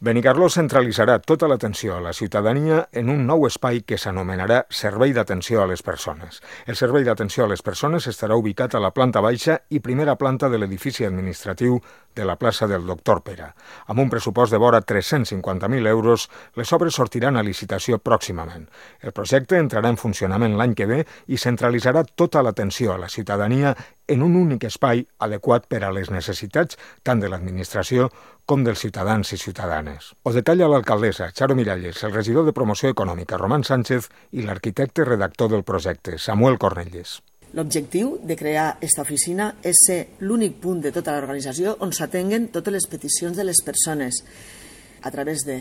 Benicarló centralitzarà tota l'atenció a la ciutadania en un nou espai que s'anomenarà Servei d'Atenció a les Persones. El Servei d'Atenció a les Persones estarà ubicat a la planta baixa i primera planta de l'edifici administratiu de la plaça del Doctor Pere. Amb un pressupost de vora 350.000 euros, les obres sortiran a licitació pròximament. El projecte entrarà en funcionament l'any que ve i centralitzarà tota l'atenció a la ciutadania en un únic espai adequat per a les necessitats tant de l'administració com dels ciutadans i ciutadanes. Ho detalla l'alcaldessa, Charo Miralles, el regidor de Promoció Econòmica, Román Sánchez, i l'arquitecte redactor del projecte, Samuel Cornelles. L'objectiu de crear aquesta oficina és ser l'únic punt de tota l'organització on s'atenguen totes les peticions de les persones a través de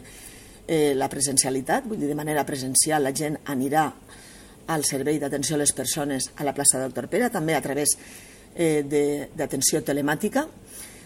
la presencialitat, vull dir, de manera presencial la gent anirà al servei d'atenció a les persones a la plaça del Doctor Pere, també a través d'atenció telemàtica,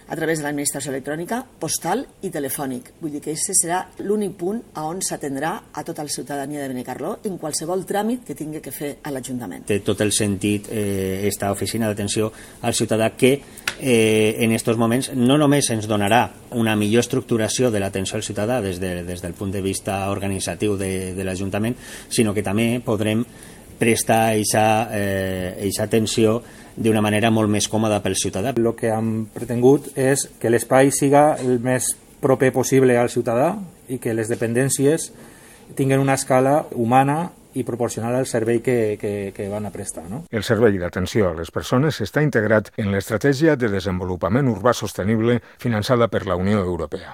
a través de l'administració electrònica, postal i telefònic. Vull dir que aquest serà l'únic punt on s'atendrà a tota la ciutadania de Benicarló en qualsevol tràmit que tingui que fer a l'Ajuntament. Té tot el sentit esta oficina d'atenció al ciutadà que en aquests moments no només ens donarà una millor estructuració de l'atenció al ciutadà des del punt de vista organitzatiu de l'Ajuntament, sinó que també podrem prestar aquesta atenció d'una manera molt més còmoda pel ciutadà. El que hem pretengut és que l'espai siga el més proper possible al ciutadà i que les dependències tinguin una escala humana i proporcional al servei que van a prestar. No? El servei d'atenció a les persones està integrat en l'Estratègia de Desenvolupament Urbà Sostenible finançada per la Unió Europea.